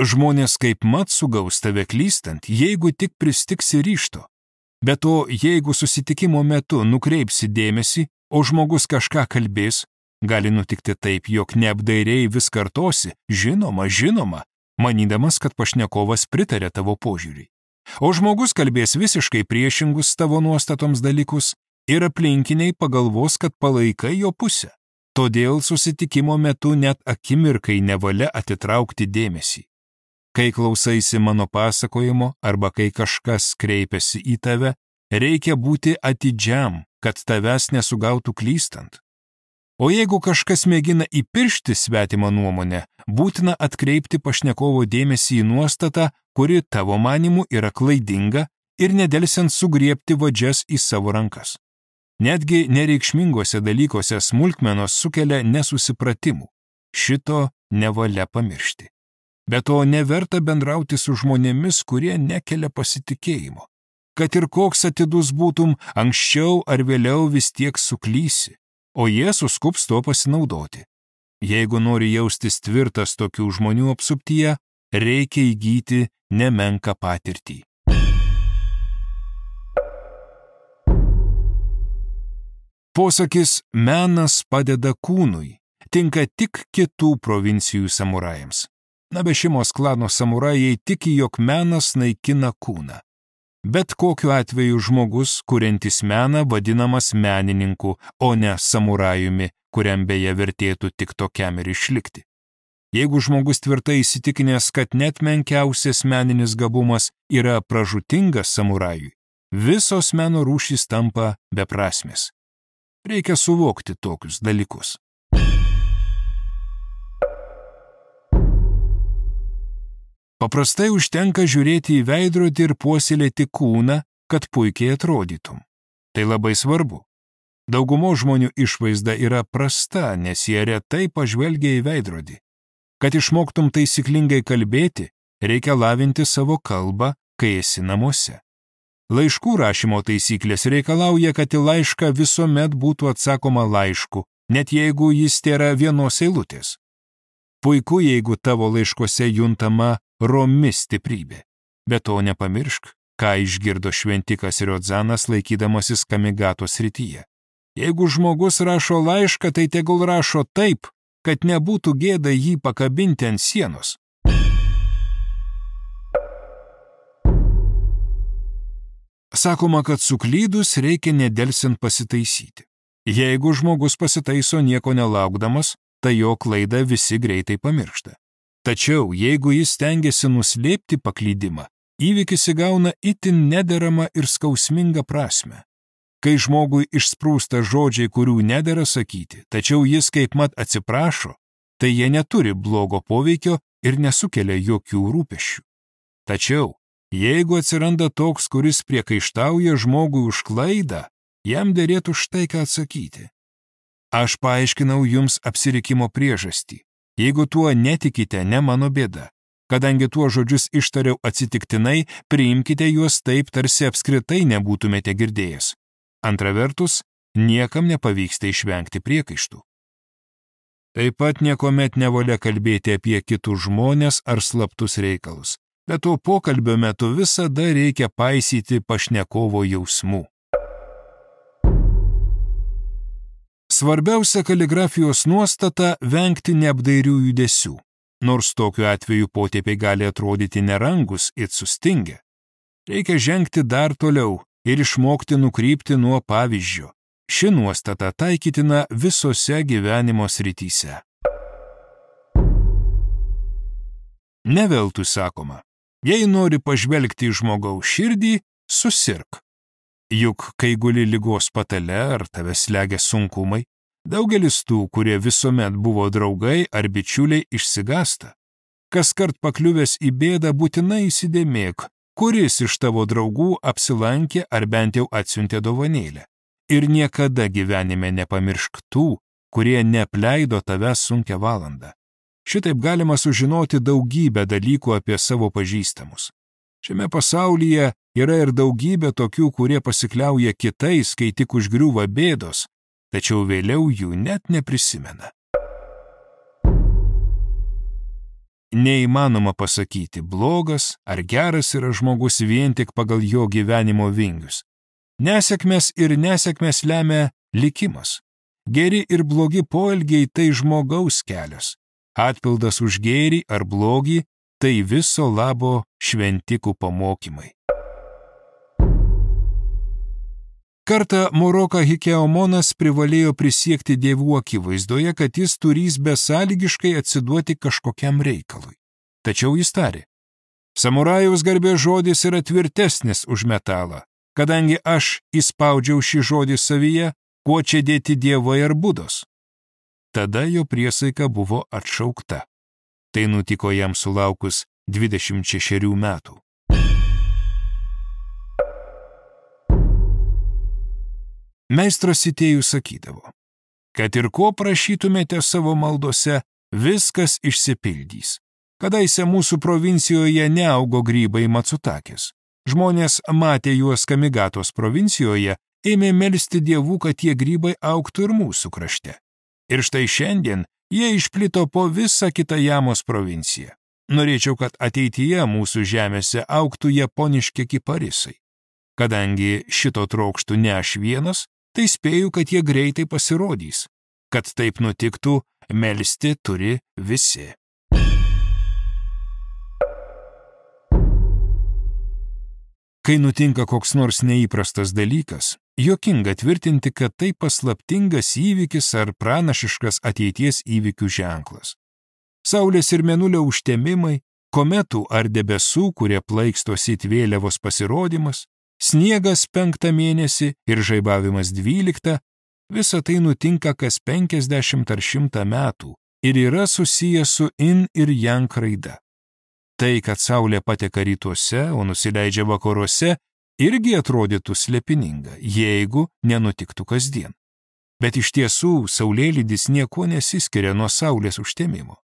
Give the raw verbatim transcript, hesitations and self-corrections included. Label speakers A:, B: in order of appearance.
A: Žmonės kaip mat sugaus tave klystant, jeigu tik pristiksi ryžto. Be to, jeigu susitikimo metu nukreipsi dėmesį, o žmogus kažką kalbės, gali nutikti taip, jog neapdairiai vis kartosi, žinoma, žinoma, manydamas, kad pašnekovas pritarė tavo požiūriui. O žmogus kalbės visiškai priešingus tavo nuostatoms dalykus ir aplinkiniai pagalvos, kad palaikai jo pusę. Todėl susitikimo metu net akimirkai nevalia atitraukti dėmesį. Kai klausaisi mano pasakojimo arba kai kažkas kreipiasi į tave, reikia būti atidžiam, kad tavęs nesugautų klystant. O jeigu kažkas mėgina įpiršti svetimą nuomonę, būtina atkreipti pašnekovo dėmesį į nuostatą, kuri tavo manimu yra klaidinga ir nedelsiant sugriebti vadžias į savo rankas. Netgi nereikšmingose dalykuose smulkmenos sukelia nesusipratimų. Šito nevalia pamiršti. Be to neverta bendrauti su žmonėmis, kurie nekelia pasitikėjimo. Kad ir koks atidus būtum, anksčiau ar vėliau vis tiek suklysi, o jie suskubs to pasinaudoti. Jeigu nori jaustis tvirtas tokių žmonių apsuptyje, reikia įgyti nemenką patirtį. Posakis menas padeda kūnui tinka tik kitų provincijų samurajams. Nabešimos klano samurajai tiki, jog menas naikina kūną. Bet kokiu atveju žmogus, kuriantis meną, vadinamas menininku, o ne samurajumi, kuriam beje vertėtų tik tokiam ir išlikti. Jeigu žmogus tvirtai įsitikinęs, kad net menkiausias meninis gabumas yra pražūtingas samurajui, visos meno rūšys tampa beprasmės. Reikia suvokti tokius dalykus. Paprastai užtenka žiūrėti į veidrodį ir puoselėti kūną, kad puikiai atrodytum. Tai labai svarbu. Daugumo žmonių išvaizda yra prasta, nes jie retai pažvelgia į veidrodį. Kad išmoktum taisyklingai kalbėti, reikia lavinti savo kalbą, kai esi namuose. Laiškų rašymo taisyklės reikalauja, kad į laišką visuomet būtų atsakoma laišku, net jeigu jis tėra vienos eilutės. Puiku, jeigu tavo laiškose juntama romi stiprybė. Be to nepamiršk, ką išgirdo šventikas Riodzanas laikydamasis Kamigatos srityje. Jeigu žmogus rašo laišką, tai tegul rašo taip, kad nebūtų gėda jį pakabinti ant sienos. Sakoma, kad suklydus reikia nedelsiant pasitaisyti. Jeigu žmogus pasitaiso nieko nelaukdamas, tai jo klaidą visi greitai pamiršta. Tačiau, jeigu jis stengiasi nuslėpti paklydimą, įvykis įgauna itin nederamą ir skausmingą prasmę. Kai žmogui išsprūsta žodžiai, kurių nedera sakyti, tačiau jis kaip mat atsiprašo, tai jie neturi blogo poveikio ir nesukelia jokių rūpesčių. Tačiau, jeigu atsiranda toks, kuris priekaištauja žmogui už klaidą, jam derėtų štai ką atsakyti. Aš paaiškinau jums apsirikimo priežastį. Jeigu tuo netikite, ne mano bėda. Kadangi tuo žodžius ištariau atsitiktinai, priimkite juos taip, tarsi apskritai nebūtumėte girdėjęs. Antra vertus, niekam nepavyksta išvengti priekaištų. Taip pat niekuomet nevalia kalbėti apie kitus žmonės ar slaptus reikalus. Bet to pokalbio metu visada reikia paisyti pašnekovo jausmų. Svarbiausia kaligrafijos nuostata – vengti neapdairių judesių, nors tokiu atveju potėpiai gali atrodyti nerangus ir sustingę. Reikia žengti dar toliau ir išmokti nukrypti nuo pavyzdžio. Ši nuostata taikytina visose gyvenimo srityse. Ne veltui sakoma, jei nori pažvelgti į žmogaus širdį, susirk. Juk, kai guli ligos patale ar tave slegia sunkumai, daugelis tų, kurie visuomet buvo draugai ar bičiuliai, išsigąsta. Kaskart pakliuvęs į bėdą būtinai įsidėmėk, kuris iš tavo draugų apsilankė ar bent jau atsiuntė dovanėlę. Ir niekada gyvenime nepamiršk tų, kurie neapleido tavęs sunkią valandą. Šitaip galima sužinoti daugybę dalykų apie savo pažįstamus. Šiame pasaulyje yra ir daugybė tokių, kurie pasikliauja kitais, kai tik užgriūva bėdos, tačiau vėliau jų net neprisimena. neįmanoma pasakyti, blogas ar geras yra žmogus vien tik pagal jo gyvenimo vingius. Nesėkmės ir nesėkmės lemia likimas. Geri ir blogi poelgiai tai žmogaus kelias. Atpildas už gėrį ar blogį tai viso labo šventikų pamokymai. Kartą Moroka Hikeomonas privalėjo prisiekti dievų akivaizdoje, kad jis turys besąlygiškai atsiduoti kažkokiam reikalui. Tačiau jis tarė, samurajaus garbės žodis yra tvirtesnis už metalą, kadangi aš įspaudžiau šį žodį savyje, kuo čia dėti dievai ar budos. Tada jo priesaika buvo atšaukta. Tai nutiko jam sulaukus dvidešimt šešerių metų. Meistras Sitėjus sakydavo, kad ir ko prašytumėte savo maldose, viskas išsipildys. Kadaise mūsų provincijoje neaugo grybai Matsutakės. Žmonės matė juos Kamigatos provincijoje, ėmė melsti dievų, kad tie grybai augtų ir mūsų krašte. Ir štai šiandien jie išplito po visą Kitajamos provinciją. Norėčiau, kad ateityje mūsų žemėse augtų japoniški kiparisai. Kadangi šito trokštų ne aš vienas, tai spėju, kad jie greitai pasirodys. Kad taip nutiktų, melsti turi visi. Kai nutinka koks nors neįprastas dalykas, juokinga tvirtinti, kad tai paslaptingas įvykis ar pranašiškas ateities įvykių ženklas. Saulės ir mėnulio užtemimai, kometų ar debesų, kurie plaikstosi it vėliavos pasirodymas, sniegas penktą mėnesį ir žaibavimas dvyliktą, visa tai nutinka kas penkiasdešimt ar šimtą metų ir yra susijęs su in ir yang raida. Tai, kad saulė pateka rytuose, o nusileidžia vakaruose, irgi atrodytų slėpininga, jeigu nenutiktų kasdien. Bet iš tiesų saulėlydis niekuo nesiskiria nuo saulės užtemimo.